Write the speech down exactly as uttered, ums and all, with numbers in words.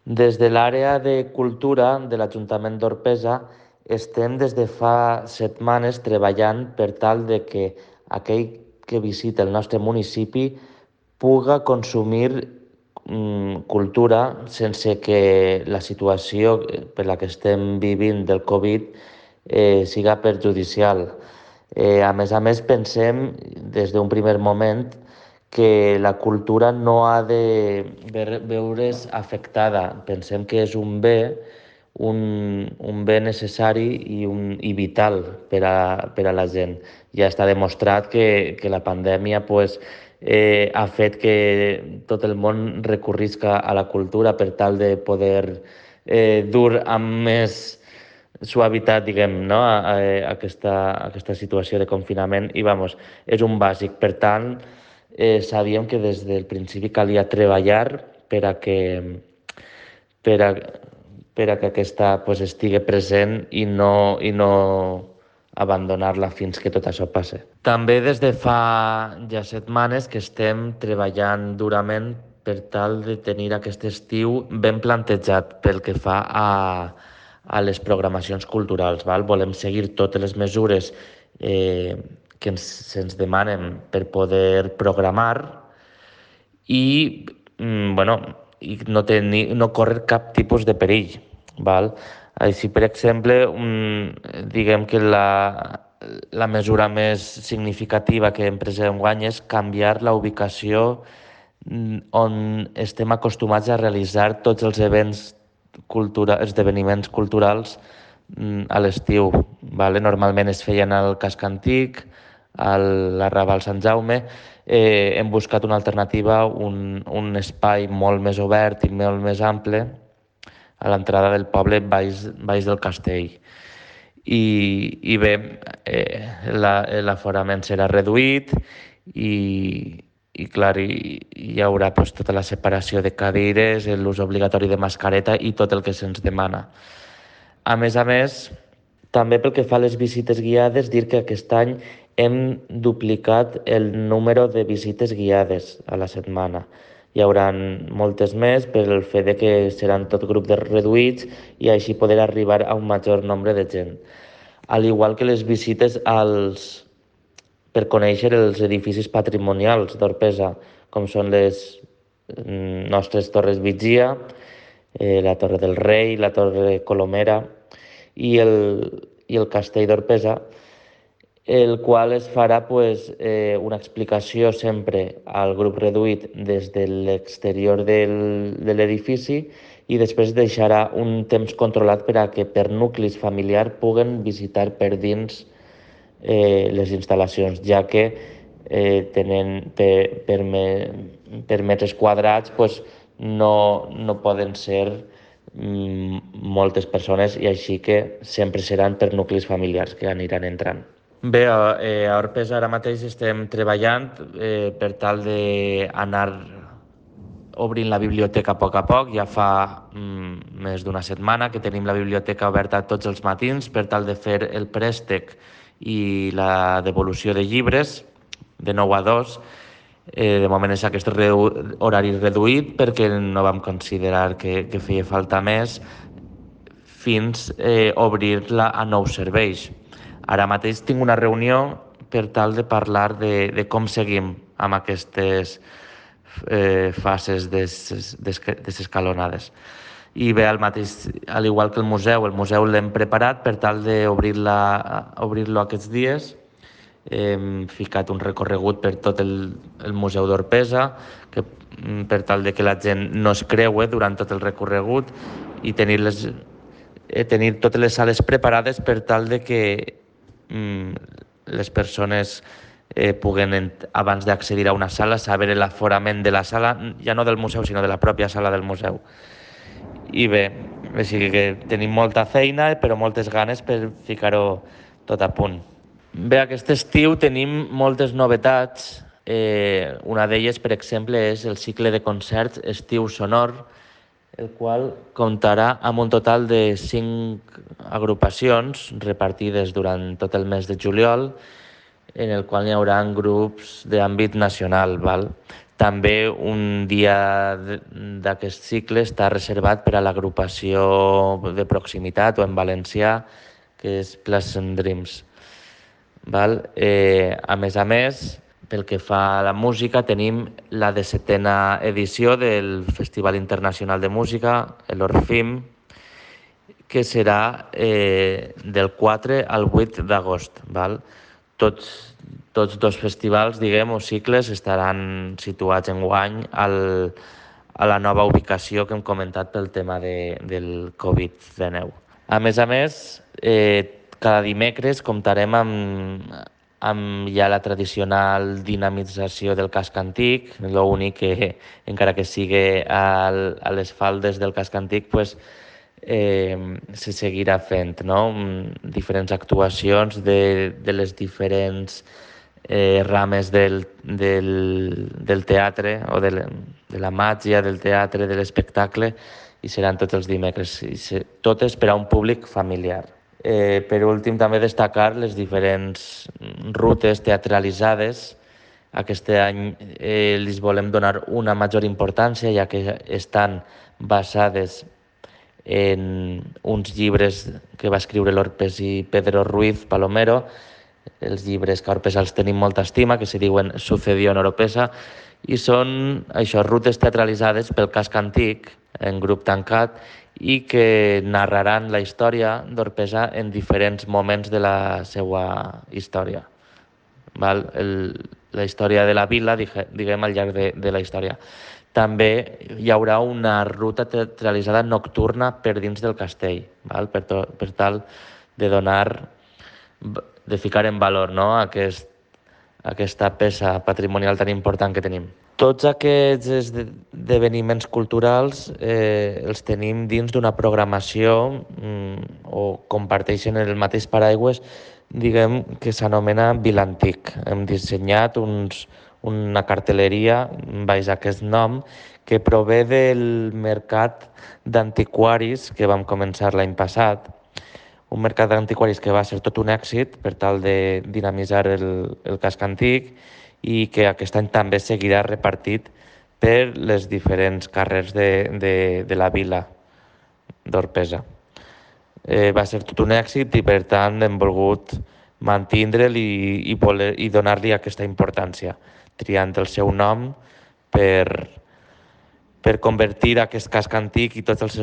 Des de l'àrea de cultura de l'Ajuntament d'Orpesa estem des de fa setmanes treballant per tal de que aquell que visita el nostre municipi puga consumir mm, cultura sense que la situació per la que estem vivint del Covid eh, siga perjudicial. Eh, a més a més, pensem des d'un primer moment que la cultura no ha de veure's afectada. Pensem que és un bé, un, un bé necessari i, un, i vital per a, per a la gent. Ja està demostrat que, que la pandèmia pues, eh, ha fet que tot el món recorrisca a la cultura per tal de poder eh, dur amb més suavitat, diguem, no? a, a, a aquesta, a aquesta situació de confinament i, vamos, és un bàsic. Per tant, eh, sabíem que des del principi calia treballar per a que, per a, per a que aquesta pues, estigui present i no, i no abandonar-la fins que tot això passe. També des de fa ja setmanes que estem treballant durament per tal de tenir aquest estiu ben plantejat pel que fa a, a les programacions culturals. Val? Volem seguir totes les mesures eh, que ens, se'ns demanen per poder programar i, mm, bueno, i no, tenir, no córrer cap tipus de perill. Val? Així, per exemple, mm, diguem que la, la mesura més significativa que hem pres enguany és canviar la ubicació mm, on estem acostumats a realitzar tots els events cultura, esdeveniments culturals mm, a l'estiu. Vale? Normalment es feien al Casc Antic, a l'Arrabal Sant Jaume. Eh, hem buscat una alternativa, un, un espai molt més obert i molt més ample a l'entrada del poble baix, baix del castell. I, i bé, eh, l'aforament serà reduït i, i clar, hi, hi haurà pues, tota la separació de cadires, l'ús obligatori de mascareta i tot el que se'ns demana. A més a més, també pel que fa a les visites guiades, dir que aquest any hem duplicat el número de visites guiades a la setmana. Hi haurà moltes més per el fet de que seran tot grups de reduïts i així poder arribar a un major nombre de gent. Al igual que les visites als, per conèixer els edificis patrimonials d'Orpesa, com són les nostres torres Vigia, eh, la Torre del Rei, la Torre Colomera i el, i el Castell d'Orpesa, el qual es farà pues, eh, una explicació sempre al grup reduït des de l'exterior del, de l'edifici i després deixarà un temps controlat per a que per nuclis familiars puguen visitar per dins eh, les instal·lacions, ja que eh, tenen per, per, me, per metres quadrats pues, no, no poden ser mm, moltes persones i així que sempre seran per nuclis familiars que aniran entrant. Bé, eh, a Orpesa ara mateix estem treballant eh, per tal d'anar obrint la biblioteca a poc a poc. Ja fa mm, més d'una setmana que tenim la biblioteca oberta tots els matins per tal de fer el préstec i la devolució de llibres de nou a dos. Eh, de moment és aquest redu horari reduït perquè no vam considerar que, que feia falta més fins eh, obrir-la a nous serveis. Ara mateix tinc una reunió per tal de parlar de, de com seguim amb aquestes eh, fases des, des, desescalonades. I bé, al mateix, al igual que el museu, el museu l'hem preparat per tal d'obrir-lo obrir aquests dies. Hem ficat un recorregut per tot el, el Museu d'Orpesa, que, per tal de que la gent no es creue durant tot el recorregut i tenir, les, eh, tenir totes les sales preparades per tal de que mm, les persones eh, puguen, abans d'accedir a una sala, saber l'aforament de la sala, ja no del museu, sinó de la pròpia sala del museu. I bé, així que tenim molta feina, però moltes ganes per ficar-ho tot a punt. Bé, aquest estiu tenim moltes novetats. Eh, una d'elles, per exemple, és el cicle de concerts Estiu Sonor, el qual comptarà amb un total de cinc agrupacions repartides durant tot el mes de juliol, en el qual hi haurà grups d'àmbit nacional. Val? També un dia d'aquest cicle està reservat per a l'agrupació de proximitat o en valencià, que és Pleasant Dreams. Val? Eh, a més a més, pel que fa a la música, tenim la dissetena edició del Festival Internacional de Música, l'Orfim, que serà eh, del quatre al vuit d'agost. Val? Tots, tots dos festivals, diguem, o cicles estaran situats enguany al, a la nova ubicació que hem comentat pel tema de, del covid dinou. A més a més, eh, cada dimecres comptarem amb, amb ja la tradicional dinamització del casc antic, l'únic que, encara que sigui al, a les faldes del casc antic, pues, eh, se seguirà fent, no? Diferents actuacions de, de les diferents eh, rames del, del, del teatre o de, de la màgia del teatre, de l'espectacle, i seran tots els dimecres, i se, totes per a un públic familiar. Eh, per últim, també destacar les diferents rutes teatralitzades. Aquest any eh, les volem donar una major importància, ja que estan basades en uns llibres que va escriure l'Orpes i Pedro Ruiz Palomero, els llibres que a Orpesa els tenim molta estima, que se diuen Sucedió en Oropesa, i són això, rutes teatralitzades pel casc antic, en grup tancat, i que narraran la història d'Orpesa en diferents moments de la seva història. Val? El, la història de la vila, diguem, al llarg de, de la història. També hi haurà una ruta teatralitzada nocturna per dins del castell, val? Per, to, per tal de donar, de ficar en valor, no? Aquest, aquesta peça patrimonial tan important que tenim. Tots aquests esdeveniments culturals eh, els tenim dins d'una programació mm, o comparteixen el mateix paraigües, diguem, que s'anomena Vilantic. Hem dissenyat uns, una cartelleria baix aquest nom que prové del mercat d'antiquaris que vam començar l'any passat. Un mercat d'antiquaris que va ser tot un èxit per tal de dinamitzar el, el casc antic i que aquest any també seguirà repartit per les diferents carrers de, de, de la vila d'Orpesa. Eh, va ser tot un èxit i per tant hem volgut mantindre'l i, i, voler, i donar-li aquesta importància, triant el seu nom per, per convertir aquest casc antic i tots els